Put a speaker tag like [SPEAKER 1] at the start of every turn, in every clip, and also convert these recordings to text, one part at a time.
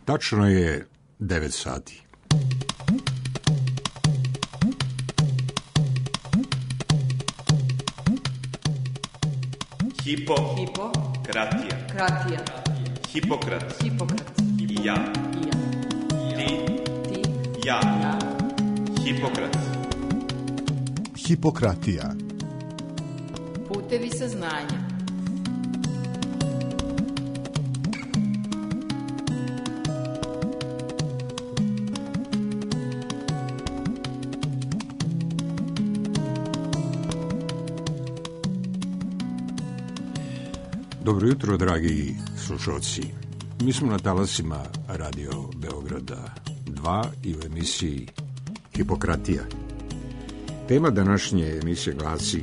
[SPEAKER 1] Tačno je 9 sati.
[SPEAKER 2] Hipokratija. Hipokrat. I ja. Ti. Ja. Hipokrat.
[SPEAKER 3] Hipokratija.
[SPEAKER 4] Putevi saznanja.
[SPEAKER 1] Dobro jutro, dragi slušalci. Mi smo na talasima Radio Beograda 2 i u emisiji Hipokratija. Tema današnje emisije glasi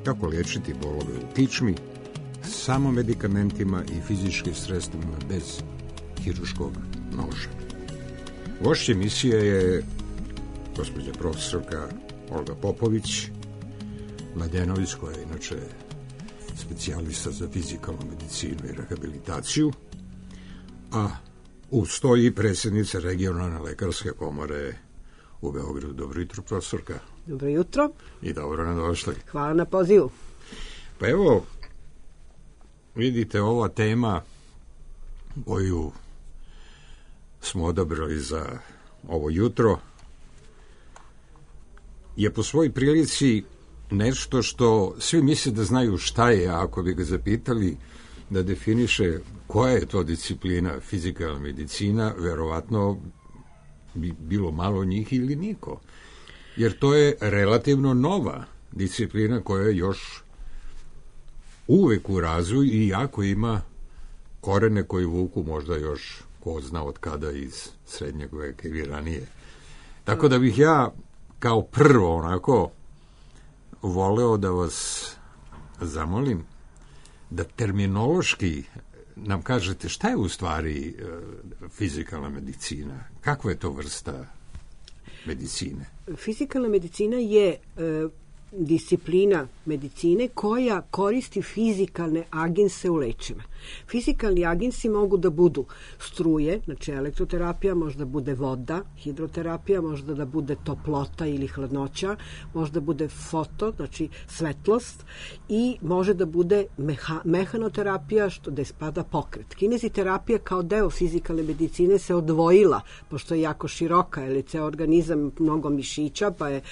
[SPEAKER 1] kako liječiti bolove u kičmi samo medikamentima i fizičkim sredstvima bez hirurškog noža. Gošća emisije je gospođa profesorka Olga Popović Mladenović, koja je inače specijalista za fizikalnu medicinu i rehabilitaciju, a ustoji predsjednica regionalne lekarske komore u Beogradu. Dobro jutro, profesorka.
[SPEAKER 5] Dobro jutro.
[SPEAKER 1] I dobro nam došli.
[SPEAKER 5] Hvala na pozivu.
[SPEAKER 1] Pa evo, vidite, ova tema koju smo odabrali za ovo jutro je po svojoj prilici nešto što svi misle da znaju šta je, a ako bi ga zapitali da definiše koja je to disciplina fizikalna medicina, verovatno bi bilo malo njih ili niko. Jer to je relativno nova disciplina koja je još uvek u razvoju i jako ima korene koji vuku možda još ko zna od kada iz srednjeg veka ili ranije. Tako da bih ja kao prvo onako voleo da vas zamolim da terminološki nam kažete šta je u stvari fizikalna medicina, kakva je to vrsta medicine?
[SPEAKER 5] Fizikalna medicina je disciplina medicine koja koristi fizikalne agense u lečenju. Fizikalni agensi mogu da budu struje, znači elektroterapija, možda bude voda, hidroterapija, možda da bude toplota ili hladnoća, možda bude foto, znači svetlost, i može da bude mehanoterapija, što da spada pokret. Kineziterapija kao deo fizikalne medicine se odvojila, pošto je jako široka, jer je ceo organizam mnogo mišića, pa je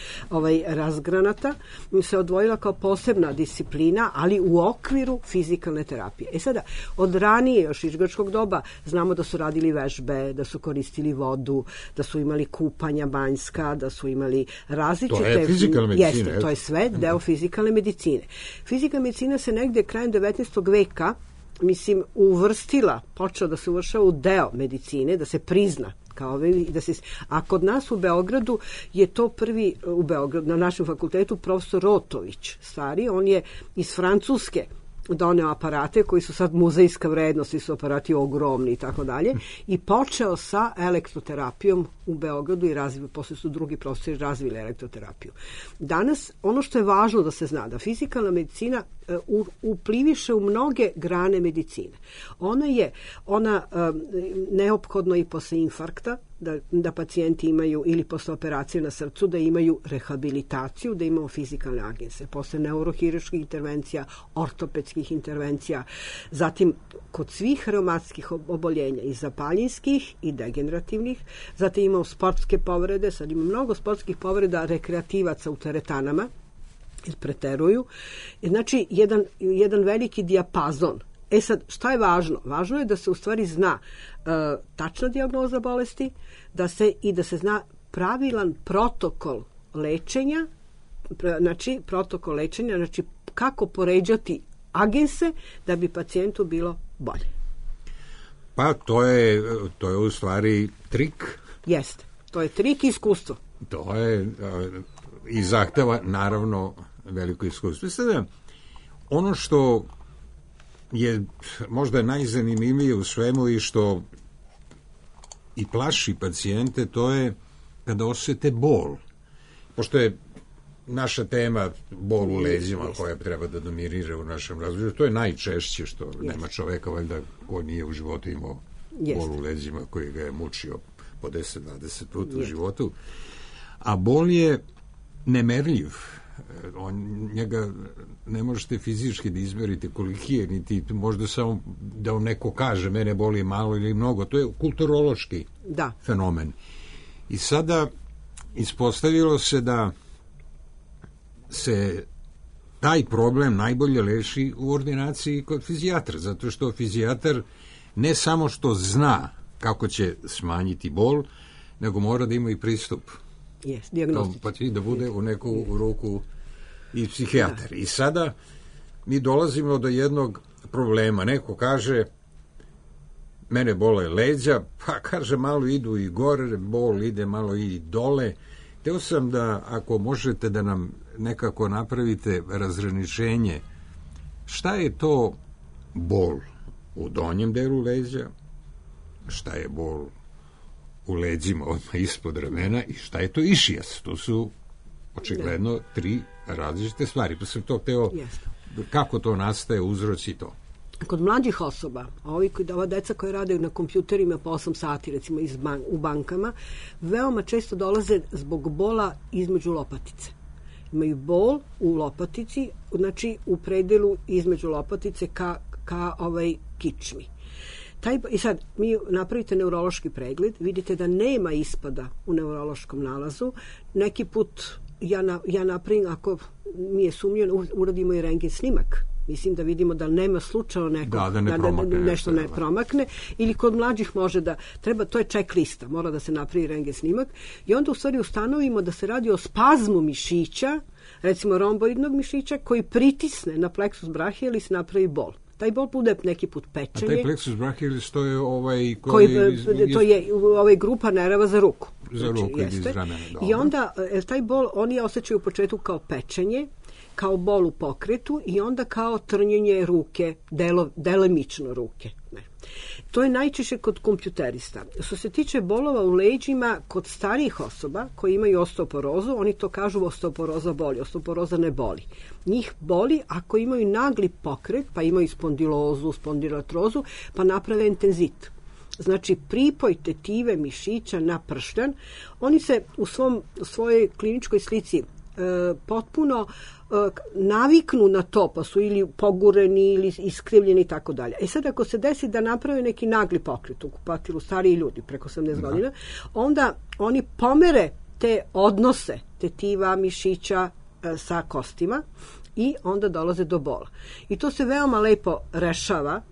[SPEAKER 5] razgranata, se odvojila kao posebna disciplina, ali u okviru fizikalne terapije. E sada, od ranije, još iz grčkog doba, znamo da su radili vežbe, da su koristili vodu, da su imali kupanja banjska, da su imali različite...
[SPEAKER 1] To je fizikalna medicina.
[SPEAKER 5] Jeste, to je sve deo fizikalne medicine. Fizikalna medicina se negde krajem 19. veka, uvrstila, počela da se uvršava u deo medicine, da se prizna. A kod nas u Beogradu je to prvi, u Beogradu, na našem fakultetu, profesor Rotović, stari, on je iz Francuske doneo aparate koji su sad muzejska vrednost, svi su aparati ogromni i tako dalje, i počeo sa elektroterapijom u Beogradu i posle su drugi profesori razvili elektroterapiju. Danas, ono što je važno da se zna, da fizikalna medicina upliviše u mnoge grane medicine. Ona neophodno i posle infarkta, da pacijenti imaju, ili posle operacije na srcu, da imaju rehabilitaciju, da imamo fizikalne agense. Posle neurohirurških intervencija, ortopedskih intervencija, zatim kod svih reumatskih oboljenja, i zapaljinskih i degenerativnih, zatim imamo sportske povrede, sad ima mnogo sportskih povreda rekreativaca u teretanama, jer preteruju. Znači, jedan veliki dijapazon. E sad, šta je važno? Važno je da se u stvari zna tačna dijagnoza bolesti, da se zna pravilan protokol lečenja, znači kako poređati agense da bi pacijentu bilo bolje.
[SPEAKER 1] Pa to je u stvari trik.
[SPEAKER 5] Jeste, to je trik i iskustvo.
[SPEAKER 1] To je i zahteva naravno veliko iskustvo. Sada, ono što je možda najzanimljivije u svemu i što i plaši pacijente, to je kada osjete bol. Pošto je naša tema bol u leđima koja treba da dominira u našem razvoju, to je najčešće što nema čoveka valjda ko nije u životu imao bol u leđima koji ga je mučio po 10-20 puta u životu. A bol je nemerljiv. Njega ne možete fizički da izmerite koliki je, niti možda samo da vam neko kaže mene boli malo ili mnogo. To je kulturološki fenomen. I sada ispostavilo se da se taj problem najbolje leši u ordinaciji kod fizijatra, zato što fizijatar ne samo što zna kako će smanjiti bol, nego mora da ima i pristup. Pa da bude u neku ruku i psihijatar. I sada mi dolazimo do jednog problema. Neko kaže mene bole leđa, pa kaže malo idu i gore, bol ide malo i dole. Teo sam da, ako možete da nam nekako napravite razgraničenje, šta je to bol u donjem delu leđa, šta je bol u leđima odmah ispod ramena i šta je to išijas. To su očigledno tri različite stvari. Pa sam to hteo kako to nastaje, uzroci to.
[SPEAKER 5] Kod mlađih osoba, ova deca koja rade na kompjuterima po 8 sati, recimo u bankama, veoma često dolaze zbog bola između lopatice. Imaju bol u lopatici, znači u predelu između lopatice ka kičmi. I sad, mi napravite neurološki pregled, vidite da nema ispada u neurološkom nalazu. Neki put ja napravim, ako mi je sumnjeno, uradimo i rentgen snimak. Mislim da vidimo da nema slučajno nešto ne promakne, ili kod mlađih može da treba, to je check lista, mora da se napravi rentgen snimak i onda u stvari ustanovimo da se radi o spazmu mišića, recimo romboidnog mišića koji pritisne na plexus brachialis i napravi bol. Taj bol bude neki put pečenje.
[SPEAKER 1] A taj plexus brachialis to je
[SPEAKER 5] to je grupa nerava za ruku.
[SPEAKER 1] Za ruku iz ramena.
[SPEAKER 5] I onda taj bol oni osjećaju u početku kao pečenje, kao bol u pokretu i onda kao trnjenje ruke, delimično ruke. To je najčešće kod kompjuterista. Što se tiče bolova u leđima, kod starijih osoba koji imaju osteoporozu, oni to kažu osteoporoza boli, osteoporoza ne boli. Njih boli ako imaju nagli pokret, pa imaju spondilozu, spondilatrozu, pa naprave intenzit. Znači, pripoj tetive mišića na pršljan, oni se u svojoj kliničkoj slici potpuno naviknu na to, pa su ili pogureni ili iskrivljeni i tako dalje. Sad ako se desi da naprave neki nagli pokret u kupatilu, stariji ljudi preko 80 godina, onda oni pomere te odnose tetiva mišića sa kostima i onda dolaze do bola. I to se veoma lepo rešava,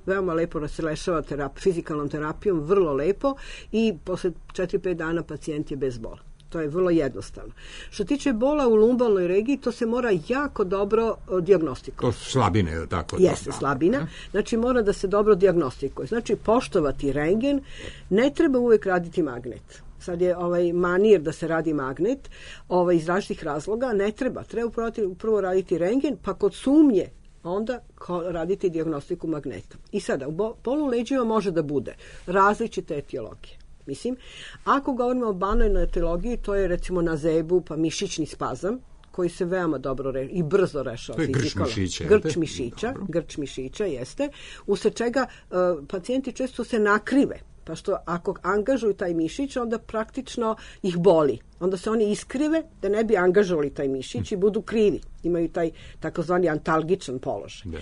[SPEAKER 5] se rešava fizikalnom terapijom, vrlo lepo, i posle 4-5 dana pacijent je bez bola. To je vrlo jednostavno. Što tiče bola u lumbalnoj regiji, to se mora jako dobro dijagnostikovati.
[SPEAKER 1] To su slabine, je li tako?
[SPEAKER 5] Jeste, slabina. Znači, mora da se dobro dijagnostikuje. Znači, poštovati rentgen, ne treba uvek raditi magnet. Sad je manir da se radi magnet, iz različitih razloga, ne treba. Treba prvo raditi rentgen, pa kod sumnje onda raditi dijagnostiku magnetom. I sada, u bolu leđima može da bude različite etiologije. Mislim, ako govorimo o banalnoj etiologiji, to je recimo na zebu, pa mišićni spazam, koji se veoma dobro i brzo rešava.
[SPEAKER 1] To je
[SPEAKER 5] grč mišića, jeste. Usled čega pacijenti često se nakrive, pa što ako angažuju taj mišić, onda praktično ih boli. Onda se oni iskrive da ne bi angažovali taj mišić i budu krivi. Imaju taj takozvani antalgičan položaj.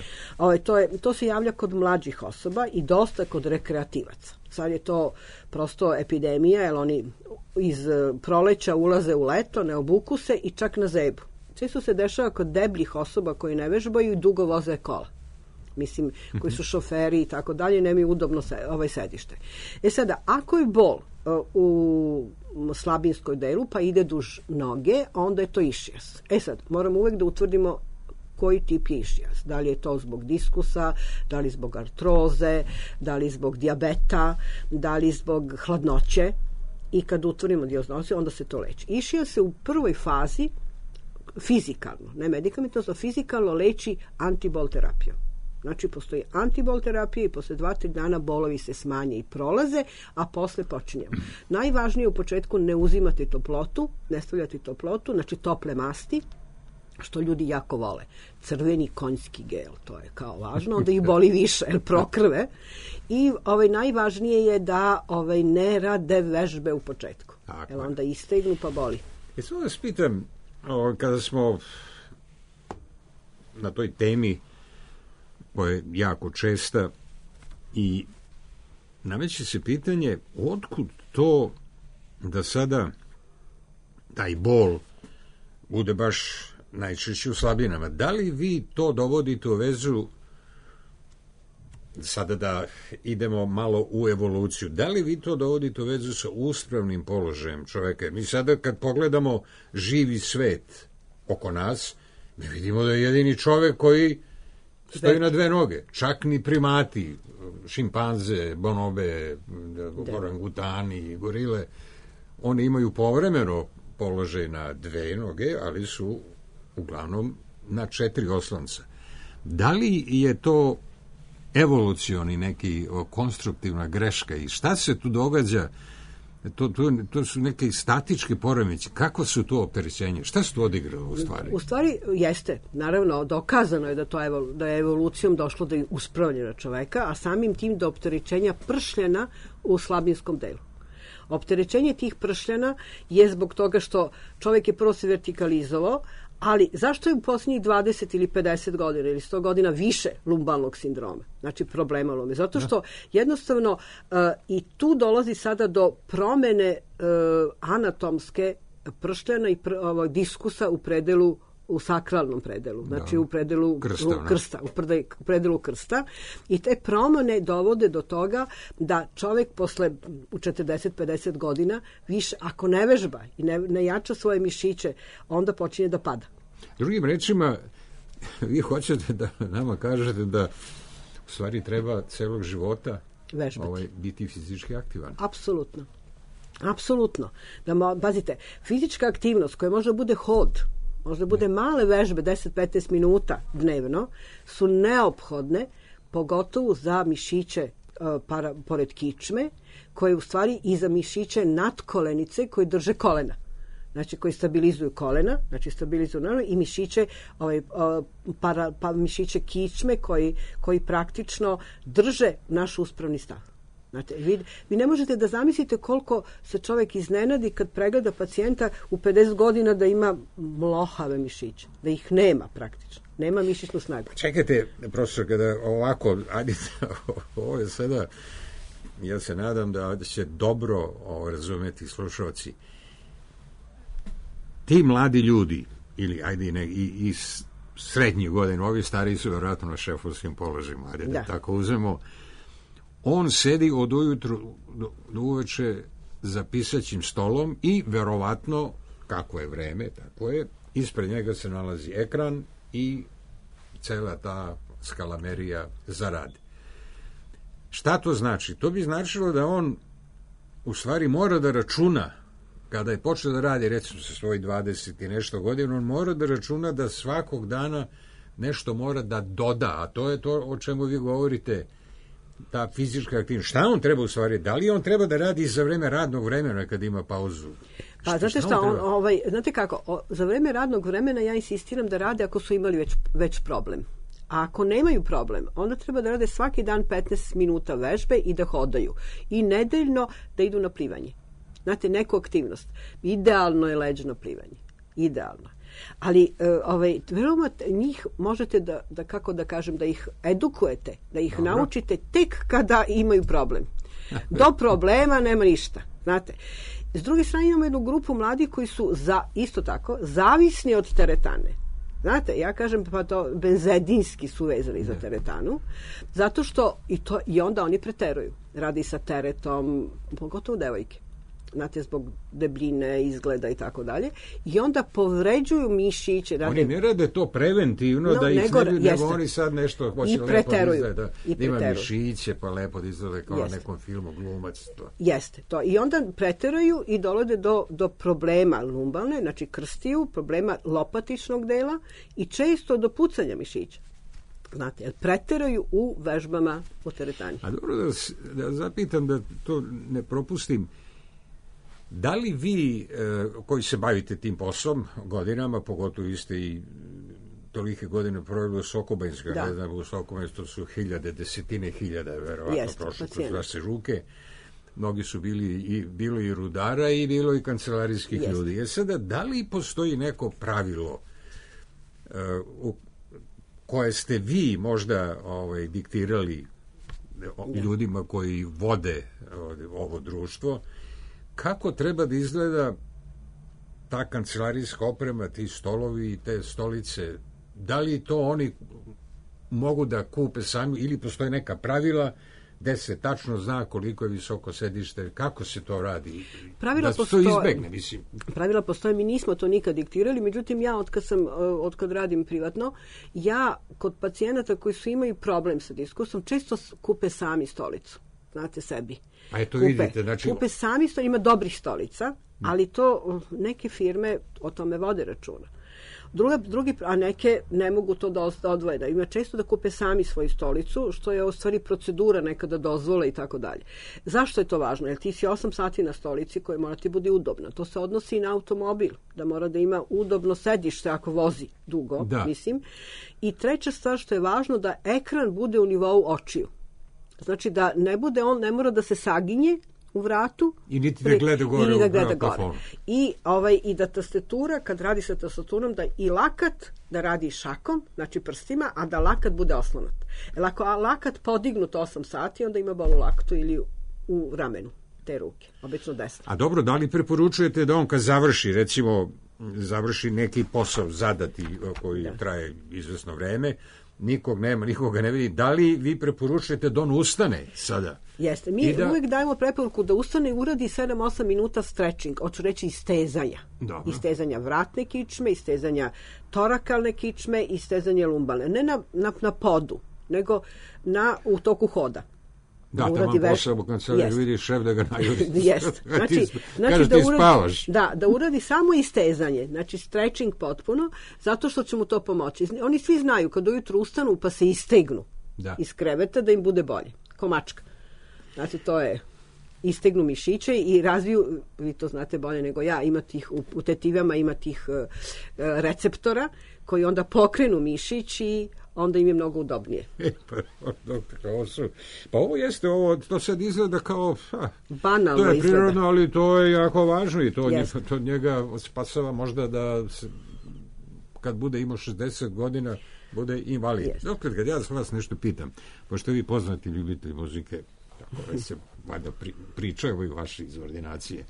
[SPEAKER 5] To se javlja kod mlađih osoba i dosta kod rekreativaca. Sad je to prosto epidemija, jer oni iz proleća ulaze u leto, ne obuku se i čak na zebu. Često se dešava kod debljih osoba koji ne vežbaju i dugo voze kola. Mislim, koji su šoferi i tako dalje, nemaju udobno sedište. Sada, ako je bol u slabinskoj delu, pa ide duž noge, onda je to išijas. Sad, moramo uvek da utvrdimo koji tip je išijas. Da li je to zbog diskusa, da li zbog artroze, da li zbog dijabeta, da li zbog hladnoće. I kad utvrdimo dijagnozu, onda se to leči. Išijas se u prvoj fazi fizikalno, ne medikamentozno, fizikalno leči antibol terapijom. Znači, postoji antibol terapija i posle 2-3 dana bolovi se smanje i prolaze, a posle počinjemo. Najvažnije u početku ne uzimati toplotu, ne stavljati toplotu, znači tople masti, što ljudi jako vole. Crveni konjski gel, to je kao važno, onda ih boli više, jer prokrve. I najvažnije je da ne rade vežbe u početku. Jer onda istegnu pa boli.
[SPEAKER 1] Samo vas pitam, kada smo na toj temi koja je jako česta i nameće se pitanje otkud to da sada taj bol bude baš najčešće u slabinama. Da li vi to dovodite u vezu, sada da idemo malo u evoluciju, da li vi to dovodite u vezu sa uspravnim položajem čoveka? Mi sada kad pogledamo živi svet oko nas, mi vidimo da je jedini čovek koji stoji na dve noge. Čak ni primati, šimpanze, bonobe, orangutani, gorile, oni imaju povremeno položaj na dve noge, ali su uglavnom na 4 oslonca. Da li je to evolucioni neki konstruktivna greška i šta se tu događa? To su neke statičke poremeći. Kako su to opterećenje? Šta su to odigralo u stvari?
[SPEAKER 5] U stvari jeste. Naravno, dokazano je da je evolucijom došlo do uspravljena čoveka, a samim tim do opterećenja pršljena u slabinskom delu. Opterećenje tih pršljena je zbog toga što čovek je prvo se vertikalizovao, ali zašto je u posljednjih 20 ili 50 godina ili 100 godina više lumbalnog sindroma, znači problema lume? Zato što jednostavno i tu dolazi sada do promene anatomske pršljena i diskusa u predelu, u sakralnom predelu, znači u predelu krsta, u predelu krsta, i te promene dovode do toga da čovek posle u 40-50 godina više, ako ne vežba i ne jača svoje mišiće, onda počinje da pada.
[SPEAKER 1] Drugim rečima, vi hoćete da nama kažete da u stvari treba celog života biti fizički aktivan.
[SPEAKER 5] Apsolutno. Apsolutno. Pazite, fizička aktivnost koja može bude hod, možda bude male vežbe, 10-15 minuta dnevno, su neophodne, pogotovo za mišiće pored kičme, koje u stvari i za mišiće nadkolenice koji drže kolena. Znači koji stabilizuju kolena, znači stabilizuju naravno i mišiće, mišiće kičme koji praktično drže naš uspravni stav. Znate, vi ne možete da zamislite koliko se čovek iznenadi kad pregleda pacijenta u 50 godina da ima mlohave mišiće, da ih nema praktično. Nema mišićnu snagu.
[SPEAKER 1] Čekajte, profesor, kada ovako, ovo je sada, ja se nadam da će dobro razumeti slušalci. Ti mladi ljudi, ili i srednjih godina, ovi stariji su vjerojatno na šefovskim položajima, da tako uzmemo, on sedi od ujutru do uveče za pisaćim stolom i verovatno, kako je vreme, tako je, ispred njega se nalazi ekran i cela ta skalamerija za rad. Šta to znači? To bi značilo da on u stvari mora da računa, kada je počeo da radi, recimo sa svojih 20 i nešto godina, on mora da računa da svakog dana nešto mora da doda, a to je to o čemu vi govorite, ta fizička aktivnost. Šta on treba u stvari? Da li on treba da radi za vreme radnog vremena kad ima pauzu?
[SPEAKER 5] Pa znate šta, znate kako, za vreme radnog vremena ja insistiram da rade ako su imali već problem. A ako nemaju problem, onda treba da rade svaki dan 15 minuta vežbe i da hodaju. I nedeljno da idu na plivanje. Znate, neku aktivnost. Idealno je leđno plivanje. Idealno. Ali veoma njih možete da kako da kažem, da ih edukujete, da ih naučite tek kada imaju problem. Do problema nema ništa. Znate, s druge strane imamo jednu grupu mladih koji su isto tako zavisni od teretane. Znate, ja kažem pa to benzedinski su vezani za teretanu, zato što i onda oni preteruju. Radi sa teretom, pogotovo devojke. Znate, zbog debljine, izgleda i tako dalje. I onda povređuju mišiće. Oni
[SPEAKER 1] ne rade to preventivno, da ih nego oni sad nešto hoće lepo izgleda, da ima mišiće, pa lepo da izgleda kao na nekom filmu, glumac. To.
[SPEAKER 5] Jeste, to. I onda preteruju i dolode do problema lumbalne, znači krstiju, problema lopatičnog dela i često do pucanja mišića. Znate, jer preteraju u vežbama u teretani.
[SPEAKER 1] A dobro da zapitam, da to ne propustim. Da li vi, koji se bavite tim poslom godinama, pogotovo vi ste i tolike godine proveli u Sokobanjskoj,
[SPEAKER 5] Da.
[SPEAKER 1] ne znam, u Sokobanjskoj su hiljade, desetine hiljada, verovatno,
[SPEAKER 5] Jeste,
[SPEAKER 1] prošlo kroz
[SPEAKER 5] pacijenta.
[SPEAKER 1] vaše ruke. Mnogi su bilo i rudara i bilo i kancelarijskih
[SPEAKER 5] Jeste.
[SPEAKER 1] ljudi. Sada, da li postoji neko pravilo koje ste vi možda diktirali ljudima koji vode ovo društvo, kako treba da izgleda ta kancelarijska oprema, ti stolovi i te stolice, da li to oni mogu da kupe sami ili postoje neka pravila gde se tačno zna koliko je visoko sedište, kako se to radi,
[SPEAKER 5] Pravila
[SPEAKER 1] da se to
[SPEAKER 5] postoje.
[SPEAKER 1] izbegne, mislim.
[SPEAKER 5] Pravila postoje, mi nismo to nikad diktirali, međutim ja od kad radim privatno, ja kod pacijenata koji su imaju problem sa diskusom, često kupe sami stolicu, znate, sebi.
[SPEAKER 1] Pa eto vidite, znači...
[SPEAKER 5] Kupe sami stolicu, ima dobrih stolica, ali to neke firme o tome vode računa. A neke ne mogu to da odvoje. Da ima često da kupe sami svoju stolicu, što je u stvari procedura nekada dozvole i tako dalje. Zašto je to važno? Jer ti si 8 sati na stolici koja mora ti bude udobna. To se odnosi i na automobil, da mora da ima udobno sedište ako vozi dugo, mislim. I treća stvar što je važno, da ekran bude u nivou očiju. Znači da ne bude, on ne mora da se saginje u vratu
[SPEAKER 1] i niti da gleda gore u plafonu.
[SPEAKER 5] I da tastatura, kad radi sa tastaturom, da i lakat da radi šakom, znači prstima, a da lakat bude oslonat. Jer ako lakat podignut 8 sati, onda ima bol u laktu ili u ramenu te ruke, obično desno.
[SPEAKER 1] A dobro, da li preporučujete da on kad završi, recimo, završi neki posao zadati koji traje izvesno vreme, nikog nema, nikoga ne vidi, da li vi preporučujete da on ustane sada?
[SPEAKER 5] Jeste, mi uvijek dajemo preporuku da ustane i uradi 7-8 minuta stretching, hoću reći istezanja.
[SPEAKER 1] Dobro.
[SPEAKER 5] Istezanja vratne kičme, istezanja torakalne kičme, istezanja lumbalne. Ne na podu, nego u toku hoda.
[SPEAKER 1] Da, tamo posao kad se vidi šef da ga najuri.
[SPEAKER 5] Jeste. Znači
[SPEAKER 1] ti spavaš.
[SPEAKER 5] Da uradi samo istezanje, znači stretching potpuno, zato što će mu to pomoći. Oni svi znaju kad ujutru ustanu pa se istegnu iz kreveta da im bude bolje. Ko mačka. Znači to je, istegnu mišiće i razviju, vi to znate bolje nego ja, ima tih, u tetivama ima tih receptora koji onda pokrenu mišić i onda im je mnogo udobnije.
[SPEAKER 1] Pa ovo jeste, to sad izgleda kao...
[SPEAKER 5] Banalno
[SPEAKER 1] to je
[SPEAKER 5] izgleda.
[SPEAKER 1] Prirodno, ali to je jako važno i to njega spasava možda da kad bude imao 60 godina bude invalid. Dokle, kad ja vas nešto pitam, pošto vi poznati ljubitelji muzike, tako se valjda pričaju i vaše iz ordinacije,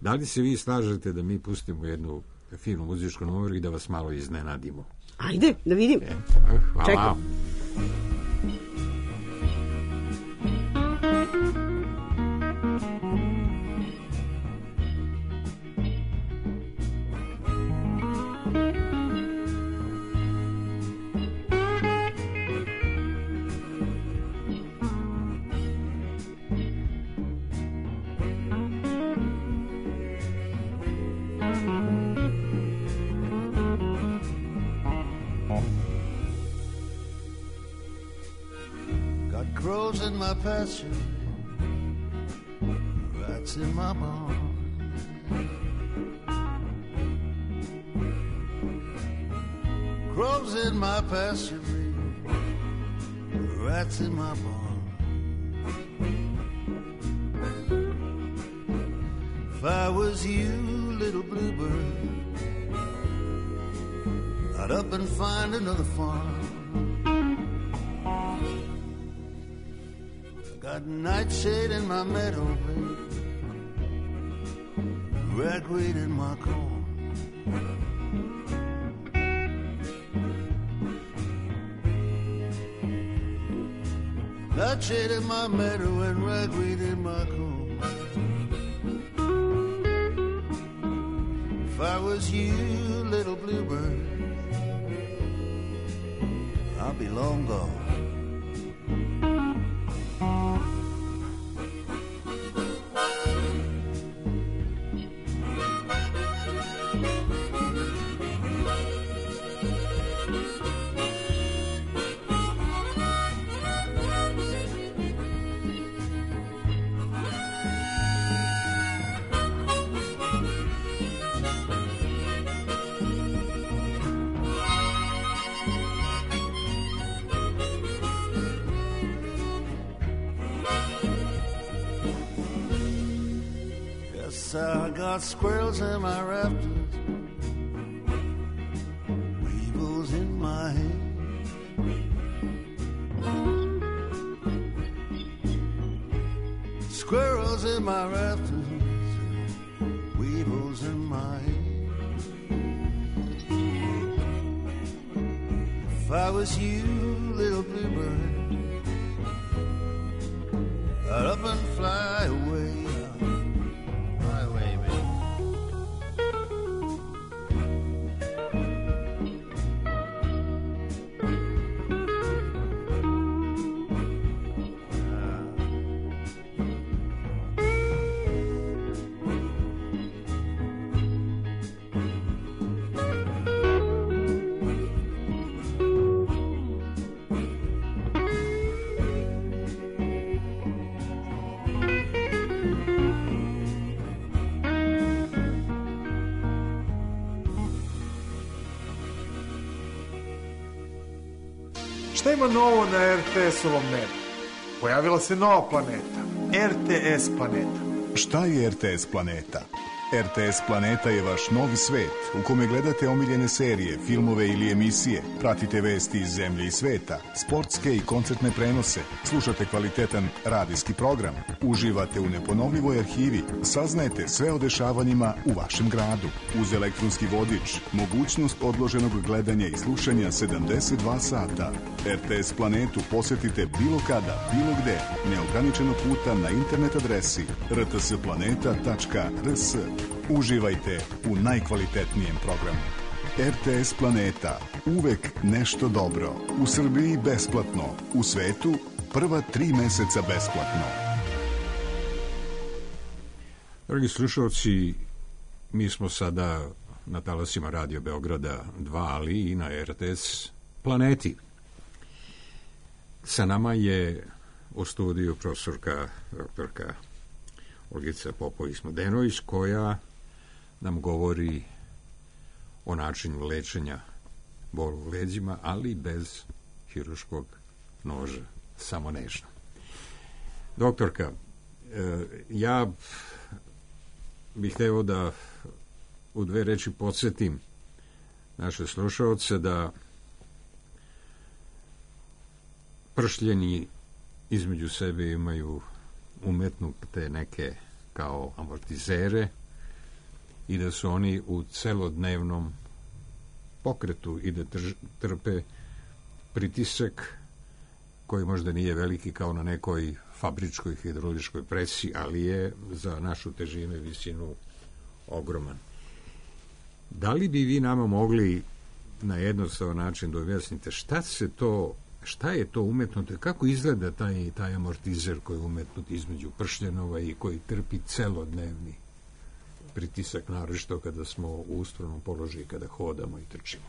[SPEAKER 1] da li se vi slažete da mi pustimo jednu finu muzičku numeru i da vas malo iznenadimo?
[SPEAKER 5] Ajde, da vidim.
[SPEAKER 1] Hvala.
[SPEAKER 5] Čekam.
[SPEAKER 3] Grows in my pasture, rats in my barn. Grows in my pasture, rats in my barn. If I was you, little bluebird, I'd up and find another farm. Got nightshade in my meadow, ragweed in my corn. Nightshade in my meadow and ragweed in my corn. If I was you, little bluebird, I'd be long gone. 'cause I got squirrels in my rafters, weevils in my hair. Squirrels in my rafters, weevils in my hair. If I was you, little bluebird, I'd up and fly away. Fly away, baby.
[SPEAKER 6] Šta ima novo na RTS-ovom nebu? Pojavila se nova planeta, RTS planeta.
[SPEAKER 7] Šta je RTS planeta? RTS planeta je vaš novi svet u kome gledate omiljene serije, filmove ili emisije, pratite vesti iz zemlje i sveta, sportske i koncertne prenose, slušate kvalitetan radijski program, uživate u neponovljivoj arhivi, saznajete sve o dešavanjima u vašem gradu. Uz elektronski vodič, mogućnost odloženog gledanja i slušanja 72 sata. RTS planetu posetite bilo kada, bilo gde, neograničeno puta na internet adresi rtsplaneta.rs. Uživajte u najkvalitetnijem programu. RTS planeta. Uvek nešto dobro. U Srbiji besplatno. U svetu prva 3 meseca besplatno.
[SPEAKER 1] Dragi slušalci, mi smo sada na talasima Radio Beograda 2, ali i na RTS planeti. Sa nama je u studiju profesorka doktorka Olgica Popović-Mladenović, koja nam govori o načinu lečenja bolu u leđima, ali bez hirurškog noža, samo nežno. Doktorka, ja bih hteo da u 2 reči podsjetim naše slušaoce da pršljeni između sebe imaju umetnute neke kao amortizere i da su oni u celodnevnom pokretu i da trpe pritisak koji možda nije veliki kao na nekoj fabričkoj hidrauličkoj presi, ali je za našu težinu i visinu ogroman. Da li bi vi nama mogli na jednostavan način da objasnite šta je to umetnuto, kako izgleda taj amortizer koji je umetnut između pršljenova i koji trpi celodnevni pritisak, naročito kada smo u uspravnom položaju, kada hodamo i trčimo?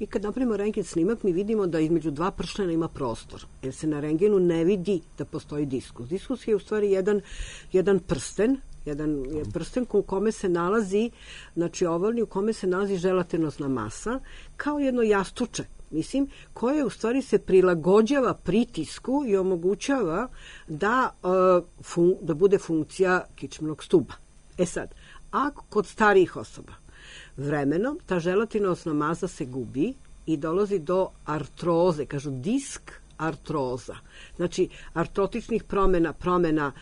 [SPEAKER 5] Mi kad napravimo rentgen snimak, mi vidimo da između 2 pršljena ima prostor, jer se na rentgenu ne vidi da postoji diskus. Diskus je u stvari jedan prsten, prsten u kome se nalazi, znači ovalni, u kome se nalazi želatinozna masa, kao jedno jastuče, koje u stvari se prilagođava pritisku i omogućava da bude funkcija kičmenog stuba. Sad, ako kod starijih osoba vremenom ta želatinozna masa se gubi i dolazi do artroze, kažu disk artroza. Znači, artrotičnih promena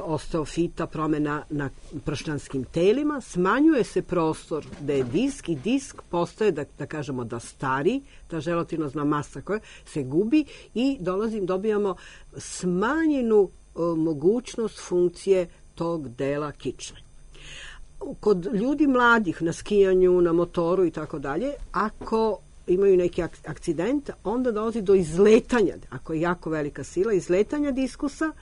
[SPEAKER 5] osteofita, promena na pršljanskim telima, smanjuje se prostor da je disk i disk postaje, da kažemo, da stari, ta želatinozna masa koja se gubi i dobijamo smanjenu mogućnost funkcije tog dela kičme. Kod ljudi mladih na skijanju, na motoru i tako dalje, ako imaju neki akcident, onda dolazi do izletanja, ako je jako velika sila, izletanja diskusa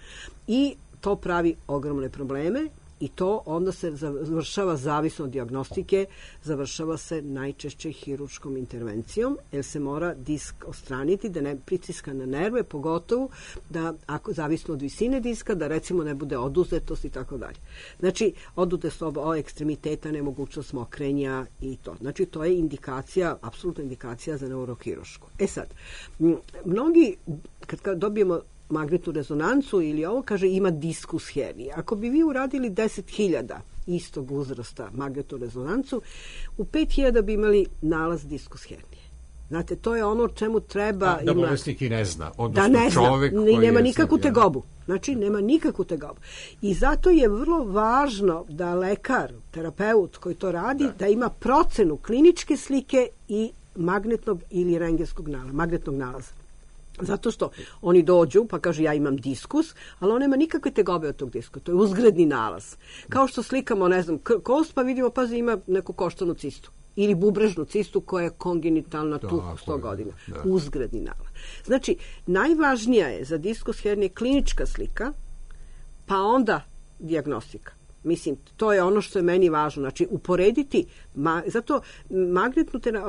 [SPEAKER 5] i to pravi ogromne probleme i to onda se završava, zavisno od dijagnostike, završava se najčešće hirurškom intervencijom, jer se mora disk odstraniti, da ne pritiska na nerve, pogotovo da, ako zavisno od visine diska, da recimo ne bude oduzetost i tako dalje. Znači, oduzetost ekstremiteta, nemogućnost mokrenja i to. Znači, to je indikacija, apsolutna indikacija za neurohirušku. Sad, mnogi, kad dobijemo magnetnu rezonancu ili ovo, kaže ima diskus hernije. Ako bi vi uradili 10.000 istog uzrasta magnetnu rezonancu, u 5000 bi imali nalaz diskus hernije. Znate, to je ono o čemu treba...
[SPEAKER 1] Da bolesnik i ne zna,
[SPEAKER 5] da
[SPEAKER 1] odnosno
[SPEAKER 5] ne zna,
[SPEAKER 1] čovek koji
[SPEAKER 5] nema
[SPEAKER 1] je...
[SPEAKER 5] nikakvu tegobu. Znači, nema nikakvu tegobu. I zato je vrlo važno da lekar, terapeut koji to radi, da ima procenu kliničke slike i magnetnog ili rentgenskog nalaza, magnetnog nalaza. Zato što oni dođu pa kažu ja imam diskus, ali on nema nikakve tegobe od tog diskusa. To je uzgredni nalaz. Kao što slikamo, ne znam, kost pa vidimo, pazi, ima neku koštanu cistu. Ili bubrežnu cistu koja je kongenitalna tu 100 godina. Da. Uzgredni nalaz. Znači, najvažnija je za diskus hernije klinička slika, pa onda dijagnostika. Mislim, to je ono što je meni važno. Znači, uporediti zato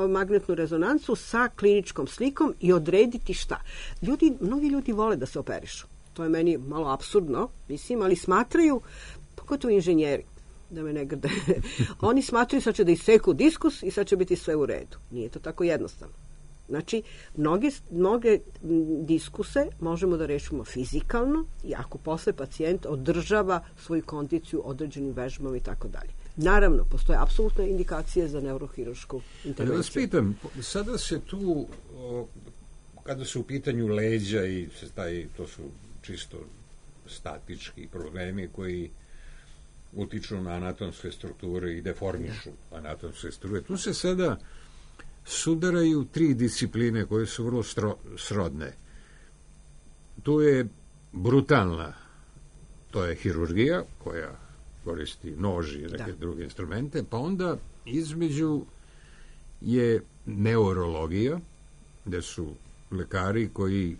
[SPEAKER 5] magnetnu rezonancu sa kliničkom slikom i odrediti šta. Mnogi ljudi vole da se operišu. To je meni malo apsurdno, mislim, ali smatraju, pogotovo inženjeri, da me ne grde, oni smatraju sad će da iseku diskus i sad će biti sve u redu. Nije to tako jednostavno. Znači, mnoge diskuse možemo da rešimo fizikalno i ako posle pacijent održava svoju kondiciju određenim vežbama i tako dalje. Naravno, postoje apsolutne indikacije za neurohirušku intervenciju.
[SPEAKER 1] Da vas pitam, sada se tu, kada su u pitanju leđa i to su čisto statički problemi koji utiču na anatomske strukture i deformišu anatomske strukture. Tu se sada sudaraju 3 discipline koje su vrlo srodne. Tu je brutalna, to je hirurgija koja koristi nož i neke druge instrumente, pa onda između je neurologija, gde su lekari koji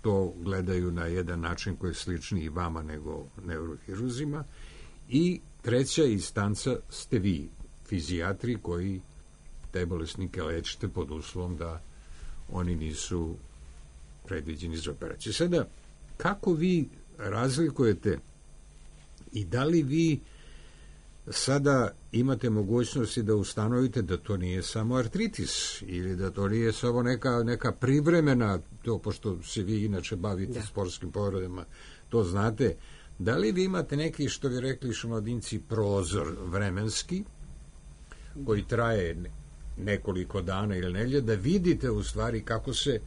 [SPEAKER 1] to gledaju na jedan način koji je sličniji vama nego neurohiruzima, i treća instanca ste vi, fizijatri koji te bolesnike lečite pod uslovom da oni nisu predviđeni za operaciju. Sada, kako vi razlikujete i da li vi sada imate mogućnosti da ustanovite da to nije samo artritis ili da to nije samo neka privremena, to pošto se vi inače bavite sportskim povredama, to znate, da li vi imate neki, što bi rekli šumadinci, prozor vremenski koji traje nekoliko dana ili nedelje, da vidite u stvari kako se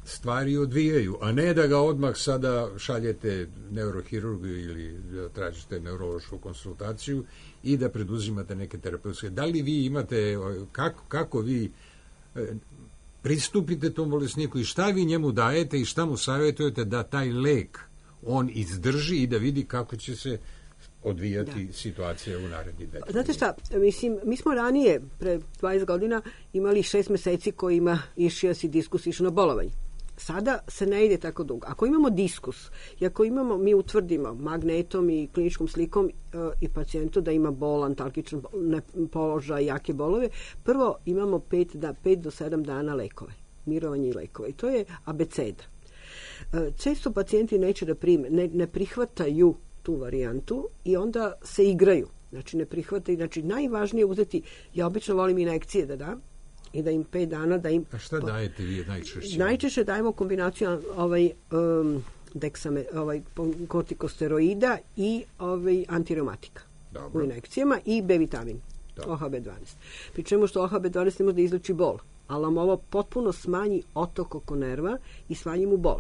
[SPEAKER 1] stvari odvijaju, a ne da ga odmah sada šaljete neurohirurgu ili da tražite neurološku konsultaciju i da preduzimate neke terapeutske. Da li vi imate, kako vi pristupite tom bolesniku i šta vi njemu dajete i šta mu savjetujete da taj lek on izdrži i da vidi kako će se odvijati situacija u narednih 10.
[SPEAKER 5] Znate šta, mislim, mi smo ranije, pre 20 godina, imali 6 meseci kojima išijas i diskus išao na bolovanje. Sada se ne ide tako dugo. Ako imamo diskus i ako mi utvrdimo magnetom i kliničkom slikom i pacijentu da ima bol, antalgičan položaj, jake bolove, prvo imamo 5 do 7 dana lekove, mirovanje i lekove. I to je abeceda. Često pacijenti neće da prime, ne prihvataju tu varijantu i onda se igraju. Znači ne prihvataju. Znači najvažnije je uzeti, ja obično volim injekcije da dam i da im 5 dana da im...
[SPEAKER 1] A šta dajete vi najčešće?
[SPEAKER 5] Najčešće dajemo kombinaciju kortikosteroida i antireumatika u injekcijama i B vitamin, OHB12. Pri čemu što OHB12 ne može da izleči bol, ali nam ovo potpuno smanji otok oko nerva i smanji mu bol.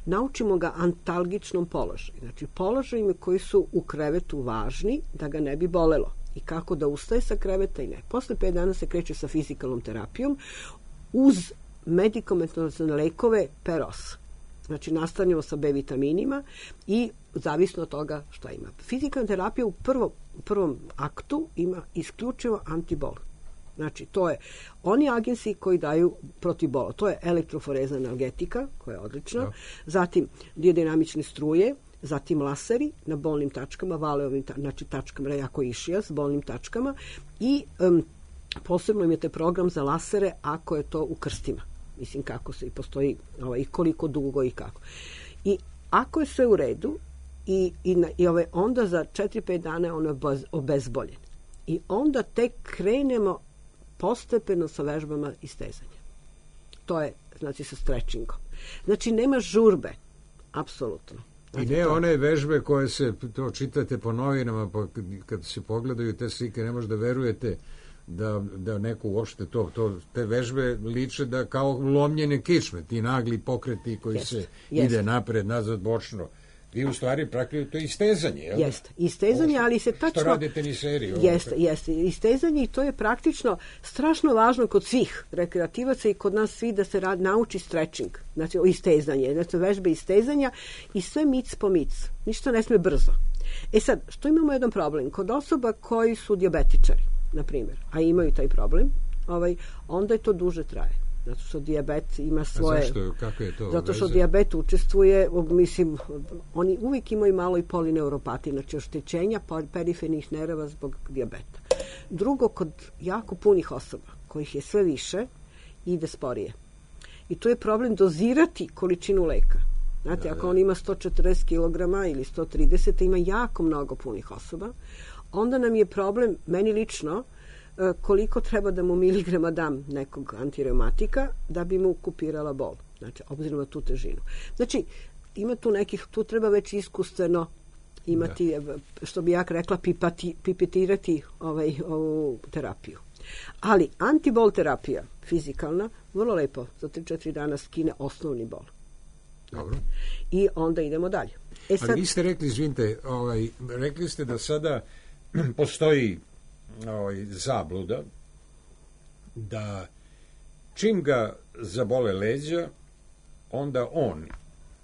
[SPEAKER 5] Naučimo ga antalgičnom položaju. Znači, položajima koji su u krevetu važni da ga ne bi bolelo. I kako da ustaje sa kreveta i ne. Posle 5 dana se kreće sa fizikalnom terapijom uz medikamentalne lekove per os. Znači, nastavljamo sa B vitaminima i zavisno od toga šta ima. Fizikalna terapija u prvom aktu ima isključivo antibol. Znači, to je oni agensi koji daju protiv bola. To je elektroforezna analgetika, koja je odlična, zatim biodinamične struje, zatim laseri na bolnim tačkama, valeovim tačkama, jako išija s bolnim tačkama i posebno imate program za lasere ako je to u krstima. Mislim kako se i postoji i koliko dugo i kako. I ako je sve u redu i onda za 4-5 dana on je obezboljen. I onda tek krenemo postepeno sa vežbama istezanja. To je, znači, sa stretchingom. Znači, nema žurbe, apsolutno.
[SPEAKER 1] I ne one vežbe koje se, to čitate po novinama, pa kad se pogledaju te slike, ne možda verujete da neko uopšte te vežbe liče da kao lomljene kičme, ti nagli pokreti koji se ide napred, nazad, bočno. Vi u stvari praktično to je istezanje, jel?
[SPEAKER 5] Jeste, istezanje, ali se tačno...
[SPEAKER 1] Što radi teniseriji?
[SPEAKER 5] Jeste, istezanje i to je praktično strašno važno kod svih rekreativaca i kod nas svi da se nauči stretching, znači istezanje, znači vežbe istezanja i sve mic po mic, ništa ne sme brzo. E sad, što imamo jedan problem? Kod osoba koji su dijabetičari, na primjer, a imaju taj problem, onda je to duže traje. Zato što dijabet ima svoje...
[SPEAKER 1] Zašto? Kako je to?
[SPEAKER 5] Zato što dijabet učestvuje, mislim, oni uvijek imaju malo i polineuropatije, znači oštećenja perifernih nerava zbog dijabeta. Drugo, kod jako punih osoba, kojih je sve više, ide sporije. I to je problem dozirati količinu leka. Znate, ako on ima 140 kg ili 130, ima jako mnogo punih osoba, onda nam je problem, meni lično, koliko treba da mu miligrama dam nekog antireumatika da bi mu kupirala bol. Znači, obzirom na tu težinu. Znači, ima tu nekih, tu treba već iskustveno imati, što bi ja rekla, pipetirati ovu terapiju. Ali antibol terapija, fizikalna, vrlo lepo, za 3-4 dana skine osnovni bol.
[SPEAKER 1] Dobro.
[SPEAKER 5] I onda idemo dalje.
[SPEAKER 1] Ali vi ste rekli, izvinite, rekli ste da sada postoji zabluda da čim ga zabole leđa, onda on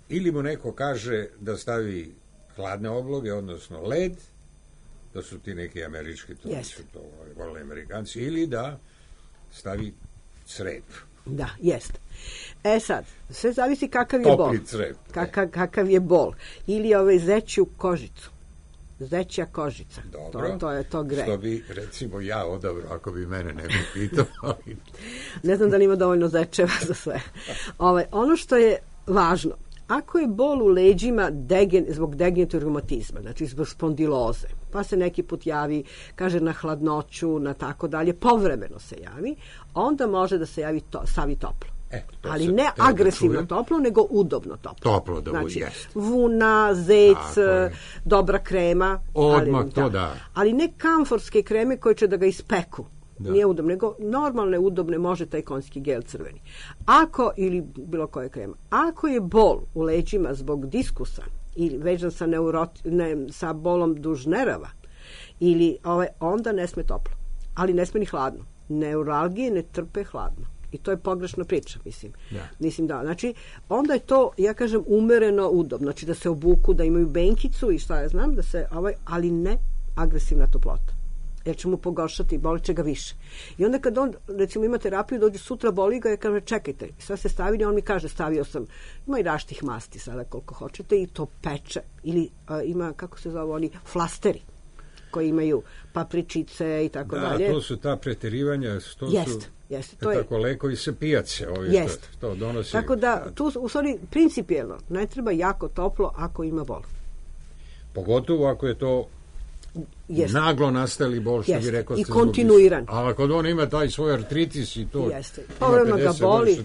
[SPEAKER 1] ili mu neko kaže da stavi hladne obloge, odnosno led, da su ti neki američki, to su to vole Amerikanci, ili da stavi crep.
[SPEAKER 5] Da, jeste. Sad, sve zavisi kakav je bol.
[SPEAKER 1] Topli crep.
[SPEAKER 5] Kakav je bol. Ili zeću kožicu. Zeća kožica.
[SPEAKER 1] Dobro,
[SPEAKER 5] to je to gre.
[SPEAKER 1] Što bi, recimo, ja odabrao, ako bi mene neko pitao.
[SPEAKER 5] Ne znam da li ima dovoljno zečeva za sve. Ono što je važno, ako je bol u leđima zbog degenerativnog reumatizma, znači zbog spondiloze, pa se neki put javi, kaže na hladnoću, na tako dalje, povremeno se javi, onda može da se javi stavi toplo. Ali ne agresivno toplo, nego udobno toplo.
[SPEAKER 1] Toplo da
[SPEAKER 5] znači,
[SPEAKER 1] jest.
[SPEAKER 5] Vuna, zec, dobra krema.
[SPEAKER 1] Odmah to da.
[SPEAKER 5] Ali ne kamforske kreme koje će da ga ispeku. Da. Nije udobno, nego normalne, udobne, može taj konjski gel crveni. Ili bilo koja krema. Ako je bol u leđima zbog diskusa ili vežan sa bolom duž nerava, ili onda ne sme toplo. Ali ne sme ni hladno. Neuralgije ne trpe hladno. I to je pogrešna priča, mislim.
[SPEAKER 1] Da.
[SPEAKER 5] Mislim da, znači, onda je to, ja kažem, umereno udobno. Znači da se obuku, da imaju benkicu i šta ja znam, da se, ali ne agresivna toplota. Jer će mu pogoršati, boli će ga više. I onda kad on, recimo, ima terapiju, dođe sutra, boli ga, ja kažem, čekajte, sad se stavili, on mi kaže, stavio sam, ima i različitih masti sada koliko hoćete i to peče. Ili ima, kako se zove, oni flasteri koji imaju papričice i tako dalje.
[SPEAKER 1] Da, to su ta preterivanja, to
[SPEAKER 5] Jeste,
[SPEAKER 1] to je tako lekovi sa pijace, što donosi.
[SPEAKER 5] Tako da, tu u stvari principijelno ne treba jako toplo ako ima bol.
[SPEAKER 1] Pogotovo ako je to naglo nastali bol, što bi rekao.
[SPEAKER 5] I kontinuiran.
[SPEAKER 1] Ali ako on ima taj svoj artritis i to...
[SPEAKER 5] Povremeno ga boli,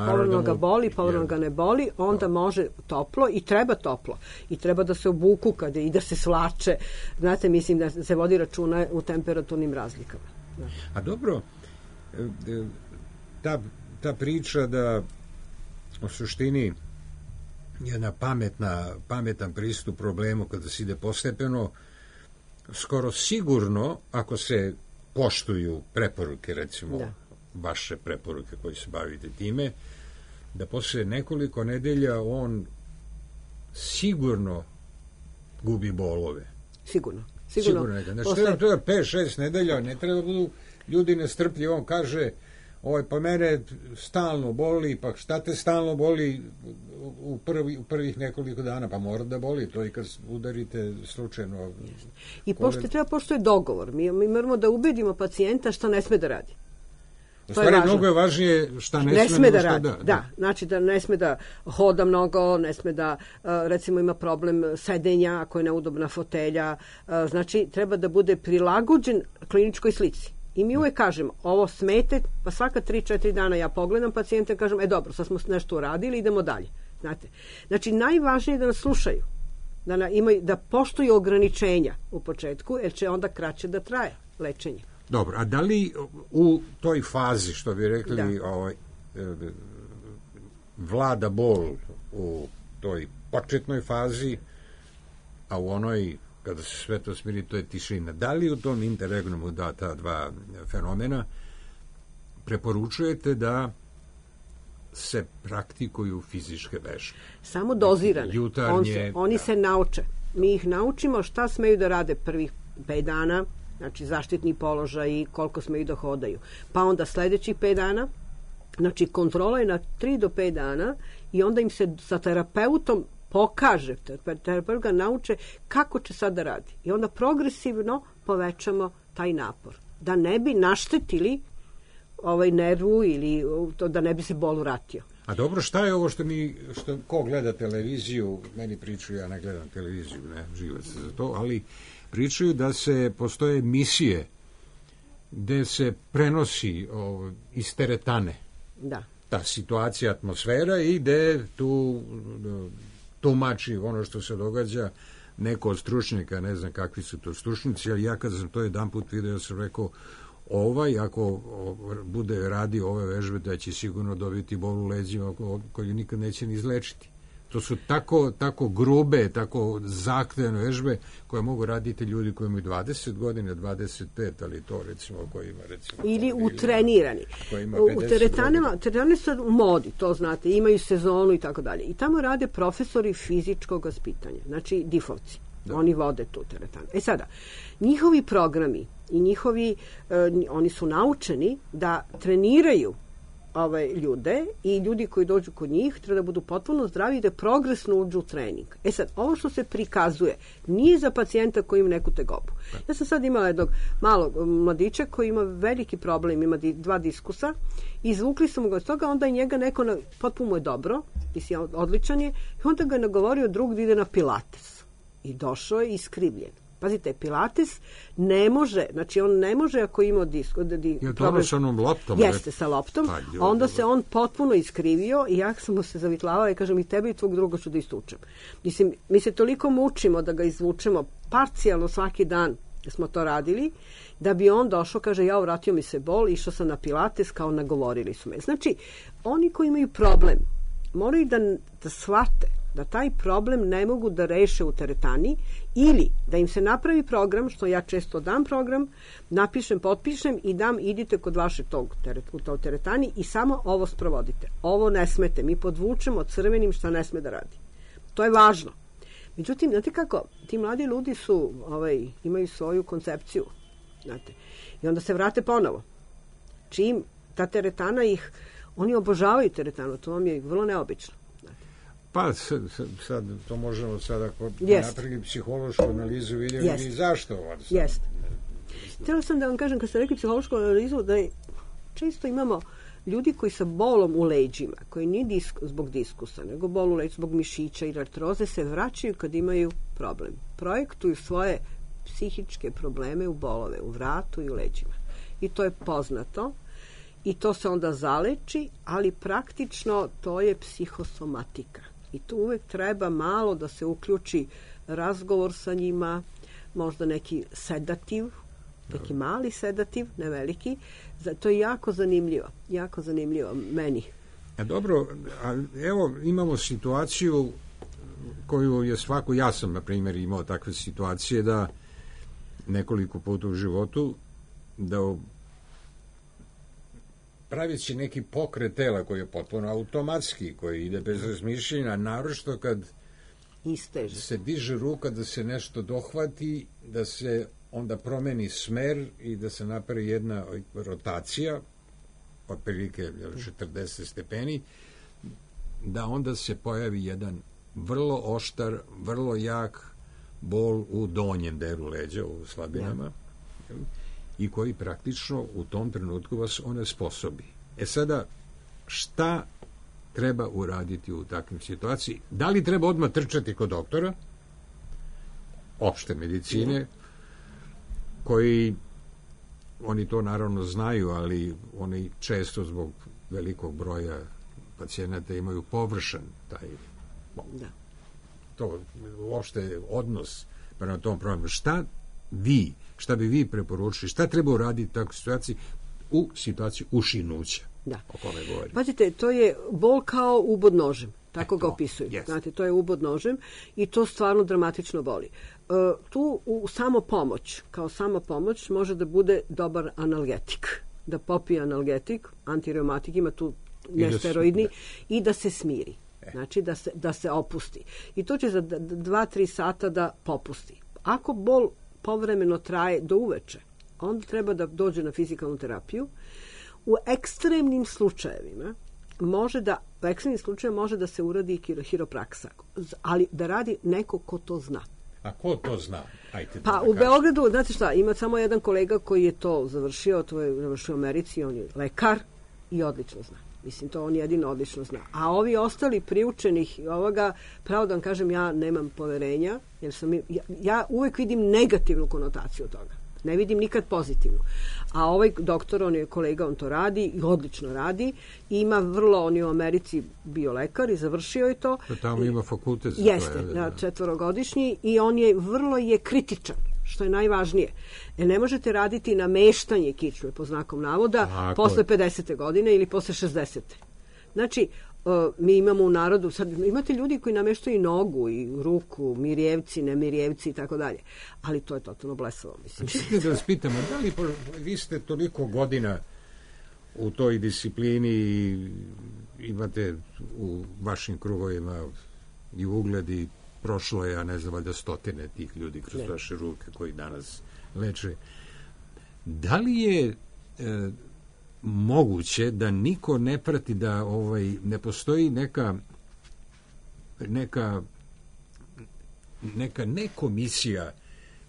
[SPEAKER 1] povremeno
[SPEAKER 5] ga boli, povremeno ga ne boli, onda može toplo i treba toplo. I treba da se obuku i da se svlače. Znate, mislim da se vodi računa u temperaturnim razlikama. Da.
[SPEAKER 1] A dobro, ta priča da u suštini jedna pametan pristup problemu kada se ide postepeno, skoro sigurno, ako se poštuju preporuke, recimo vaše preporuke koji se bavite time, da posle nekoliko nedelja on sigurno gubi bolove.
[SPEAKER 5] Sigurno.
[SPEAKER 1] Znači, to je 5-6 nedelja, ne treba budu ljudi nestrpljivi, on kaže, pa mene stalno boli, pa šta te stalno boli u prvih nekoliko dana, pa mora da boli, to i kad udarite slučajno.
[SPEAKER 5] I treba pošto je dogovor, mi moramo da ubedimo pacijenta šta ne sme da radi.
[SPEAKER 1] U stvari, mnogo je važnije šta ne sme da radi.
[SPEAKER 5] Da, znači da ne sme da hoda mnogo, ne sme da, recimo, ima problem sedenja, ako je neudobna fotelja, znači treba da bude prilagođen kliničkoj slici. I mi uvek kažemo, ovo smete, pa svaka 3-4 dana ja pogledam pacijenta i kažem, dobro, sad smo nešto uradili, idemo dalje. Znate? Znači, najvažnije je da nas slušaju, da poštuju ograničenja u početku, jer će onda kraće da traje lečenje.
[SPEAKER 1] Dobro, a da li u toj fazi, što bi rekli, vlada bol u toj početnoj fazi, a u onoj, kada se sve to smiri, to je tišina. Da li u tom interregnumu ta dva fenomena preporučujete da se praktikuju fizičke vežbe?
[SPEAKER 5] Samo dozirane. Oni se nauče. Mi ih naučimo šta smeju da rade prvih 5 dana, znači zaštitni položaj i koliko smeju da hodaju. Pa onda sledećih 5 dana, znači kontrola je na 3 do 5 dana i onda im se sa terapeutom pokaže, terapeut ga nauče kako će sad da radi. I onda progresivno povećamo taj napor. Da ne bi naštetili nervu ili da ne bi se bol vratio.
[SPEAKER 1] A dobro, šta je ovo ko gleda televiziju, meni pričaju, ja ne gledam televiziju, ne živac za to, ali pričaju da postoje emisije gde se prenosi iz teretane ta situacija, atmosfera i gde tu tumači ono što se događa neko od stručnjaka, ne znam kakvi su to stručnici, ali ja kad sam to jedan put vidio sam rekao, ako bude radio ove vežbe, da će sigurno dobiti bol u leđima koju nikad neće ni izlečiti. To su tako grube, tako zahtevne vežbe koje mogu raditi ljudi koji imaju 20 godina, 25, ali to recimo koji ima
[SPEAKER 5] ili utrenirani. U teretane su u modi, to znate, imaju sezonu i tako dalje. I tamo rade profesori fizičkog vaspitanja, znači difovci. Oni vode tu teretanu. Sada, njihovi programi i oni su naučeni da treniraju ljude i ljudi koji dođu kod njih treba da budu potpuno zdravi i da progresno uđu u trening. Sad, ovo što se prikazuje nije za pacijenta koji ima neku tegobu. Ja sam sad imala jednog malog mladića koji ima veliki problem, ima 2 diskusa, izvukli su mu ga od toga, onda je njega neko, potpuno mu je dobro, mislim, odličan je, i onda ga je nagovorio drug da ide na pilates. I došao je iskrivljen. Pazite, pilates ne može, znači on ne može ako ima
[SPEAKER 1] je to ono sa onom loptom?
[SPEAKER 5] Jeste, sa loptom. Onda se on potpuno iskrivio i ja sam mu se zavitlavala i kažem, i tebe i tvog druga ću da istučem. Mislim, mi se toliko mučimo da ga izvučemo parcijalno svaki dan da smo to radili, da bi on došao, kaže, vratio mi se bol, išao sam na pilates, kao nagovorili su me. Znači, oni koji imaju problem, moraju da shvate da taj problem ne mogu da reše u teretani ili da im se napravi program, što ja često dam program, napišem, potpišem i dam, idite kod vaše u toj teretani i samo ovo sprovodite. Ovo ne smete, mi podvučemo crvenim šta ne sme da radi. To je važno. Međutim, znate kako, ti mladi ljudi su, imaju svoju koncepciju, znate, i onda se vrate ponovo. Čim ta teretana oni obožavaju teretanu, to vam je vrlo neobično.
[SPEAKER 1] Pa sad to možemo sad ako napravili psihološku analizu vidjeli zašto ovo.
[SPEAKER 5] Jeste. Htjela sam da vam kažem, kad ste rekli psihološku analizu, da često imamo ljudi koji sa bolom u leđima, koji nije zbog diskusa, nego bol u leđima, zbog mišića i artroze, se vraćaju kad imaju problem. Projektuju svoje psihičke probleme u bolove, u vratu i u leđima. I to je poznato. I to se onda zaleči, ali praktično to je psihosomatika. I tu uvek treba malo da se uključi razgovor sa njima, možda neki sedativ, neki mali sedativ, ne veliki. To je jako zanimljivo meni.
[SPEAKER 1] Dobro, evo imamo situaciju koju je svako, ja sam na primjer imao takve situacije da nekoliko puta u životu da pravići neki pokret tela koji je potpuno automatski, koji ide bez razmišljenja, naročito kad se diže ruka da se nešto dohvati, da se onda promeni smer i da se napravi jedna rotacija, otprilike 40 stepeni, da onda se pojavi jedan vrlo oštar, vrlo jak bol u donjem delu leđa, u slabinama, i koji praktično u tom trenutku vas onesposobi. Sada, šta treba uraditi u takvim situaciji? Da li treba odmah trčati kod doktora opšte medicine, koji, oni to naravno znaju, ali oni često zbog velikog broja pacijenata imaju površan taj
[SPEAKER 5] Da.
[SPEAKER 1] To uopšte odnos prema tom problemu. Šta bi vi preporučili, šta treba uraditi u takvoj situaciji, u situaciji ušinuća,
[SPEAKER 5] da.
[SPEAKER 1] o kome govorim?
[SPEAKER 5] Pazite, to je bol kao ubod nožem, tako ga opisuju.
[SPEAKER 1] Yes.
[SPEAKER 5] Znate, to je ubod nožem i to stvarno dramatično boli. Tu u samopomoć, kao samopomoć, može da bude dobar analgetik. Da popije analgetik, antireumatik, ima tu nesteroidni, i da se smiri. Znači da se opusti. I to će za 2-3 sata da popusti. Ako bol povremeno traje do uveče, onda treba da dođe na fizikalnu terapiju. U ekstremnim slučajevima može da se uradi hiropraksa, ali da radi neko ko to zna.
[SPEAKER 1] A ko to zna?
[SPEAKER 5] Pa u Beogradu, znate šta, ima samo jedan kolega koji je to završio, to je završio u Americi, on je lekar i odlično zna. Mislim, to on jedino odlično zna. A ovi ostali priučenih ovoga, pravo da vam kažem, ja nemam poverenja, jer ja uvek vidim negativnu konotaciju toga. Ne vidim nikad pozitivnu. A ovaj doktor, on je kolega, on to radi i odlično radi. I ima on je u Americi bio lekar i završio je to.
[SPEAKER 1] Tamo ima fakultet.
[SPEAKER 5] Jeste, 4-godišnji i on je vrlo kritičan, što je najvažnije. Ne možete raditi nameštanje kičme, po znakom navoda, posle 50. godine ili posle 60. Znači, mi imamo u narodu, sad imate ljudi koji nameštaju i nogu i ruku, mirjevci, nemirjevci i tako dalje. Ali to je totalno blesavo, mislim.
[SPEAKER 1] Čekaj da vas pitamo, da li vi ste toliko godina u toj disciplini i imate u vašim krugovima i ugled i prošlo je, ja ne znam, valjda stotine tih ljudi kroz vaše ruke koji danas leče. Da li je moguće da niko ne prati, da ne postoji neka ne komisija,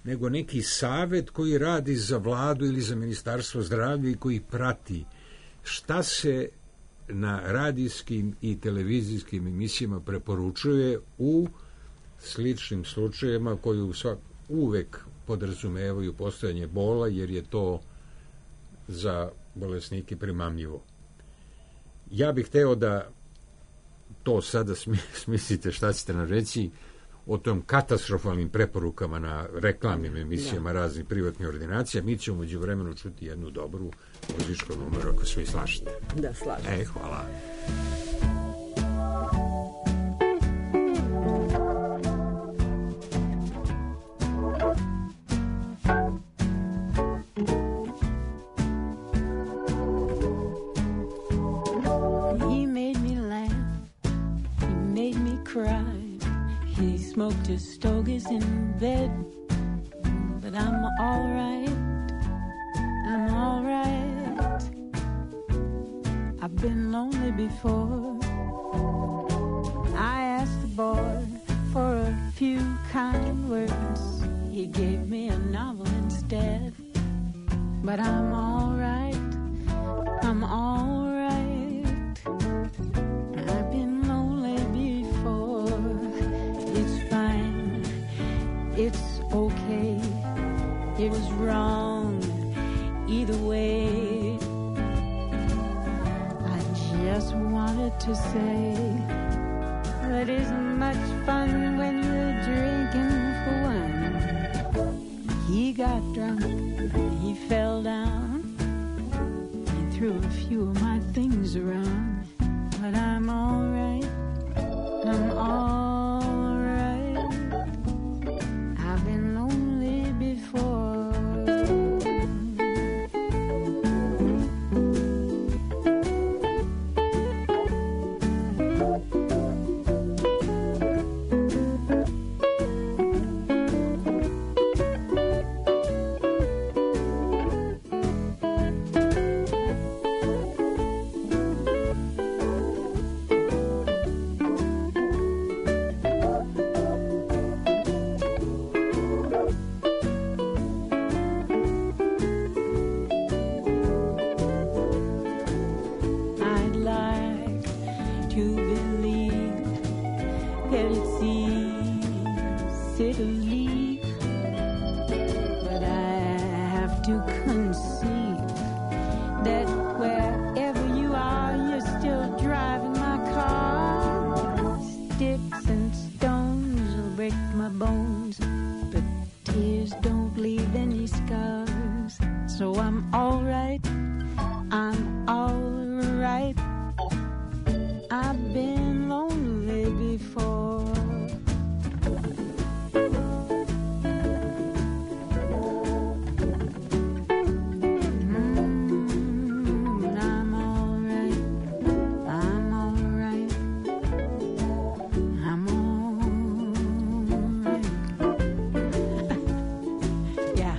[SPEAKER 1] nego neki savet koji radi za vladu ili za ministarstvo zdravlja i koji prati šta se na radijskim i televizijskim emisijama preporučuje u sličnim slučajevima koji uvek podrazumevaju postojanje bola, jer je to za bolesnike primamljivo. Ja bih hteo da to sada smislite šta ćete nam reći o tom katastrofalnim preporukama na reklamnim emisijama raznih privatnih ordinacija. Mi ćemo umeđu vremenu čuti jednu dobru muzičku numeru, ako svi slažete.
[SPEAKER 5] Da, slažete.
[SPEAKER 1] Hvala.
[SPEAKER 8] Smoked his stogies in bed, but I'm all right. I've been lonely before. I asked the boy for a few kind words. He gave me a novel instead, but I'm all right. I've been lonely before. It's fine, it's okay, it was wrong either way. I just wanted to say that isn't much fun when you're drinking for one. He got drunk, he fell down, he threw a few of my things around, but I'm all right. I've been lonely before. Dixon all right. I'm all right. I've been lonely before. I'm all right. I'm all right. I'm all right. Yeah.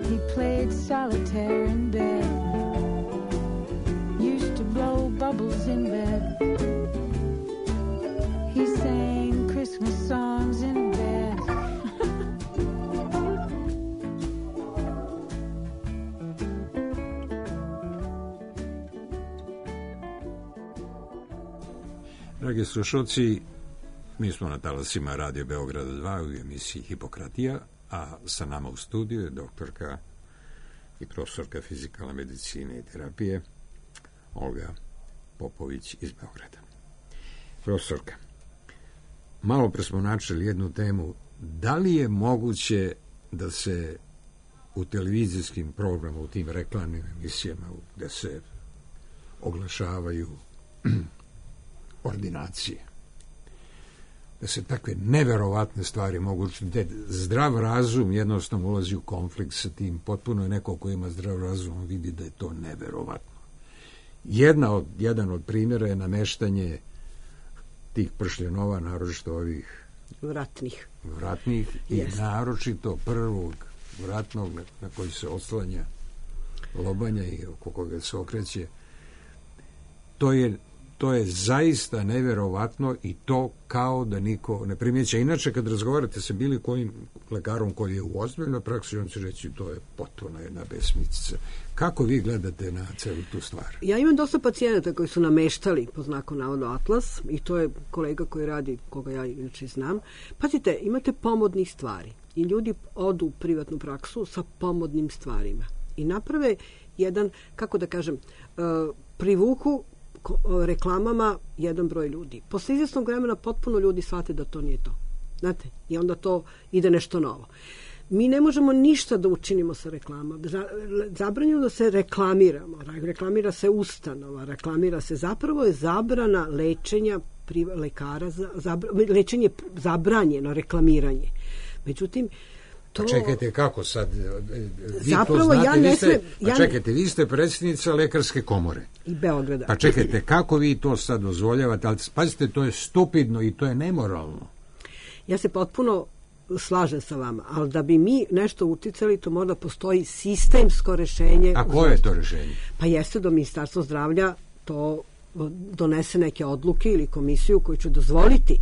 [SPEAKER 8] He played solitaire in bed. Used to blow bubbles in bed. He sang Christmas songs in bed.
[SPEAKER 1] Dragi slušalci, mi smo na talasima Radio Beograda 2 u emisiji Hipokratija, a sa nama u studiju je doktorka i profesorka fizikalne medicine i terapije Olga Popović iz Beograda. Profesorka, malo pre smo načeli jednu temu. Da li je moguće da se u televizijskim programima, u tim reklamnim emisijama gde se oglašavaju ordinacije, da se takve neverovatne stvari mogu, da zdrav razum jednostavno ulazi u konflikt sa tim, potpuno je neko ko ima zdrav razum, vidi da je to neverovatno. Jedan od primjera je nameštanje tih pršljenova, naročito ovih vratnih i naročito prvog vratnog na koji se oslanja lobanja i oko koga se okreće. To je zaista neverovatno i to kao da niko ne primjeća. Inače, kad razgovarate sa bilo kojim lekarom koji je u ozbiljnoj praksi, on će reći to je potpuno jedna besmislica. Kako vi gledate na celu tu stvar?
[SPEAKER 5] Ja imam dosta pacijenata koji su nameštali po znaku navoda Atlas i to je kolega koji radi, koga ja inače znam. Pazite, imate pomodnih stvari i ljudi odu u privatnu praksu sa pomodnim stvarima i naprave jedan, kako da kažem, privuku reklamama jedan broj ljudi. Posle izvjesnog vremena potpuno ljudi shvate da to nije to. Znate, i onda to ide nešto novo. Mi ne možemo ništa da učinimo sa reklamama. Zabranjeno da se reklamiramo. Reklamira se ustanova, reklamira se, zapravo je zabrana lečenja lekara, lečenje zabranjeno, reklamiranje. Međutim, to...
[SPEAKER 1] Pa čekajte, kako sad? Vi
[SPEAKER 5] zapravo,
[SPEAKER 1] to znate,
[SPEAKER 5] ja ne smem...
[SPEAKER 1] čekajte, vi ste predsjednica Lekarske komore.
[SPEAKER 5] I Beograda.
[SPEAKER 1] Pa čekajte, kako vi to sad dozvoljavate? Ali pazite, to je stupidno i to je nemoralno.
[SPEAKER 5] Ja se potpuno slažem sa vama, ali da bi mi nešto uticali, to mora da postoji sistemsko rešenje.
[SPEAKER 1] A koje je to rešenje?
[SPEAKER 5] Pa jeste da Ministarstvo zdravlja to donese neke odluke ili komisiju koju će dozvoliti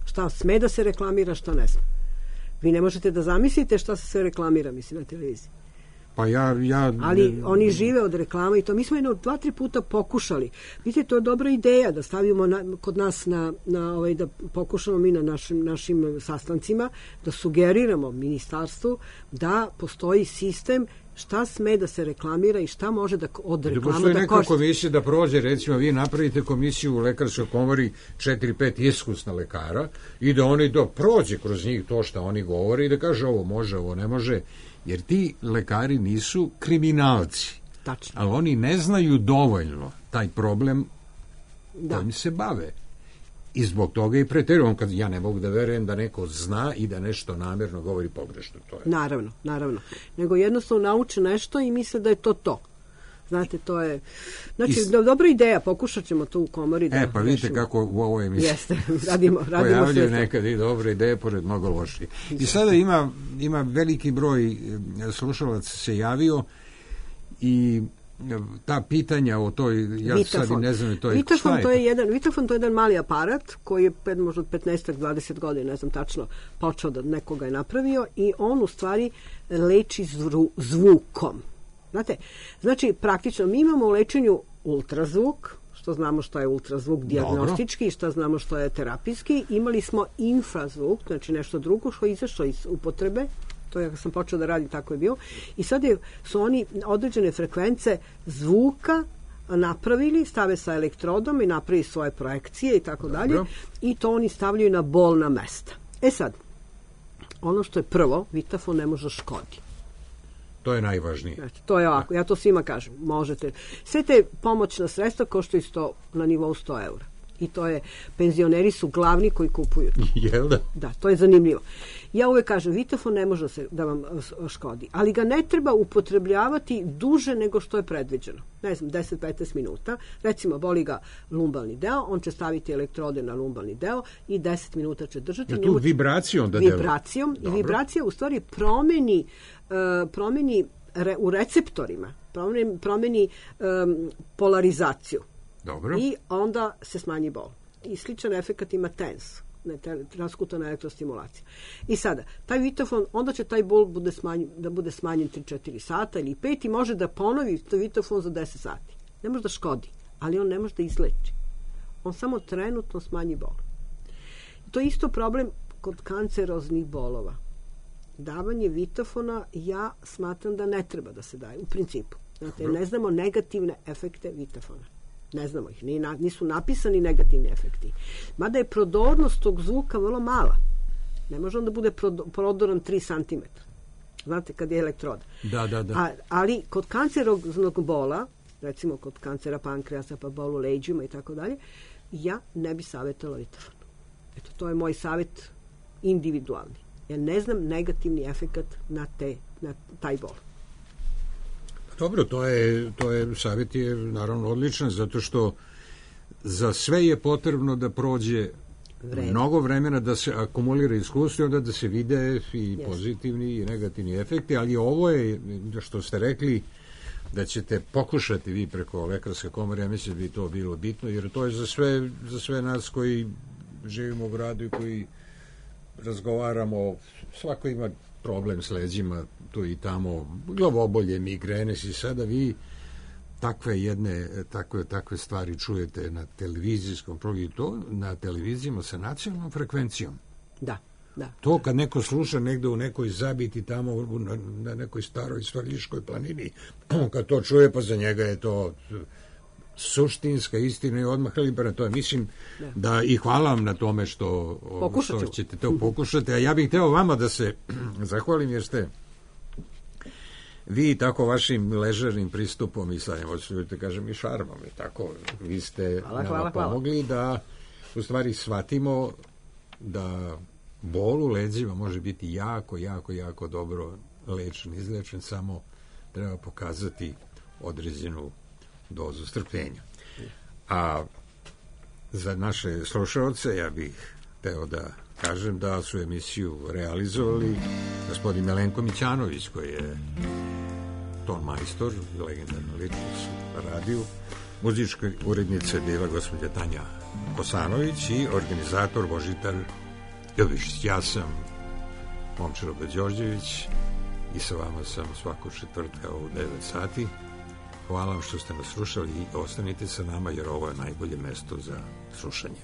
[SPEAKER 5] šta sme da se reklamira, šta ne sme. Vi ne možete da zamislite šta se sve reklamira, mislim, na televiziji.
[SPEAKER 1] Pa
[SPEAKER 5] ali oni žive od reklama i to. Mi smo 2-3 puta pokušali. Vidite, to je dobra ideja da stavimo kod nas da pokušamo mi na našim sastancima da sugeriramo ministarstvu da postoji sistem šta sme da se reklamira i šta može da od reklama da košta. Da postoji neka
[SPEAKER 1] komisija da prođe, recimo vi napravite komisiju u Lekarskoj komori 4-5 iskusna lekara i da oni prođe kroz njih to što oni govore i da kaže ovo može, ovo ne može. Jer ti lekari nisu kriminalci.
[SPEAKER 5] Tačno.
[SPEAKER 1] Ali oni ne znaju dovoljno taj problem kojim se bave. I zbog toga i preterujem. Kad ja ne mogu da verujem da neko zna i da nešto namjerno govori pogrešno. To je.
[SPEAKER 5] Naravno. Nego jednostavno nauče nešto i misle da je to to. Znate, to je... Znači, dobra ideja, pokušat ćemo to u komori da...
[SPEAKER 1] Pa vidite kako u ovoj emisiji...
[SPEAKER 5] Jeste, radimo
[SPEAKER 1] pojavljaju nekad i dobre ideje, pored mnogo loših. I sada ima veliki broj slušalaca se javio i ta pitanja o toj... Ja sad i ne znam,
[SPEAKER 5] Vitafon, to je jedan mali aparat koji je možda od 15-20 godina, ne znam tačno, počeo da nekoga je napravio i on u stvari leči zvukom. Znate, znači praktično mi imamo u lečenju ultrazvuk, što znamo što je ultrazvuk dijagnostički i što znamo što je terapijski. Imali smo infrazvuk, znači nešto drugo što je izašlo iz upotrebe, to je, sam počeo da radim, tako je bio. I sad su oni određene frekvence zvuka napravili, stave sa elektrodom i napravi svoje projekcije i tako dalje. I to oni stavljaju na bolna mesta. E sad, ono što je prvo, Vitafon ne može škodi.
[SPEAKER 1] To je najvažnije.
[SPEAKER 5] Znači, to je ovako, ja to svima kažem, možete. Sve te pomoćna sredstva koštaju na nivou 100 eura. I to je, penzioneri su glavni koji kupuju to.
[SPEAKER 1] Jel da?
[SPEAKER 5] Da, to je zanimljivo. Ja uvek kažem, vitafon ne može da vam škodi, ali ga ne treba upotrebljavati duže nego što je predviđeno. Ne znam, 10-15 minuta. Recimo, boli ga lumbalni deo, on će staviti elektrode na lumbalni deo i 10 minuta će držati.
[SPEAKER 1] Tu vibracijom da delo? Vibracijom.
[SPEAKER 5] I vibracija u stvari promeni u receptorima, promeni polarizaciju.
[SPEAKER 1] Dobro.
[SPEAKER 5] I onda se smanji bol. I sličan efekt ima TENS, transkutana elektrostimulacija. I sada, taj vitafon, onda će taj bol da bude smanjen 3-4 sata ili 5 i može da ponovi to vitafon za 10 sati. Ne može da škodi, ali on ne može da izleči. On samo trenutno smanji bol. To je isto problem kod kanceroznih bolova. Davanje vitafona, ja smatram da ne treba da se daje, u principu. Znate, ne znamo negativne efekte vitafona. Ne znamo ih, nisu napisani negativni efekti. Mada je prodornost tog zvuka vrlo mala. Ne može on da bude prodoran 3 cm. Znate, kad je elektroda.
[SPEAKER 1] Da.
[SPEAKER 5] Ali kod kanceroznog bola, recimo kod kancera pankreasa, pa bol u leđima i tako dalje, ja ne bi savjetovala vitafon. Eto, to je moj savjet individualni. Ja ne znam negativni efekat na taj bol.
[SPEAKER 1] Dobro, to je savjet je naravno odličan, zato što za sve je potrebno da prođe mnogo vremena, da se akumulira iskustvo, onda da se vide i pozitivni i negativni efekti, ali ovo je, što ste rekli, da ćete pokušati vi preko Lekarske komore, ja mislim da bi to bilo bitno, jer to je za sve nas koji živimo u gradu i koji razgovaramo, svako ima problem s leđima, tu i tamo, glavobolje, migrene, i sada vi takve stvari čujete na televizijskom programu, to na televizijama sa nacionalnom frekvencijom.
[SPEAKER 5] Da.
[SPEAKER 1] To kad neko sluša negde u nekoj zabiti tamo na nekoj staroj Svrljiškoj planini, kad to čuje, pa za njega je to suštinska istina i odmah liberalna. To je, mislim, da i hvala vam na tome što ćete to pokušati. A ja bih hteo vama da se zahvalim, jer ste vi tako vašim ležernim pristupom i sad, da kažem, i šarmom i tako, vi ste nama pomogli da u stvari shvatimo da bol u leđima može biti jako dobro lečen, izlečen, samo treba pokazati određenu dozu strpljenja. A za naše slušalce ja bih hteo da kažem da su emisiju realizovali gospodin Milenko Mićanović, koji je ton majstor, legendarna ličnost u radiju, muzička urednica je bila gospođa Tanja Kosanović i organizator Božitar Ljubišić. Ja sam Momčilo Đorđević i sa vama sam svakog četvrtka u 9 sati. Hvala vam što ste nas slušali i ostanite sa nama, jer ovo je najbolje mesto za slušanje.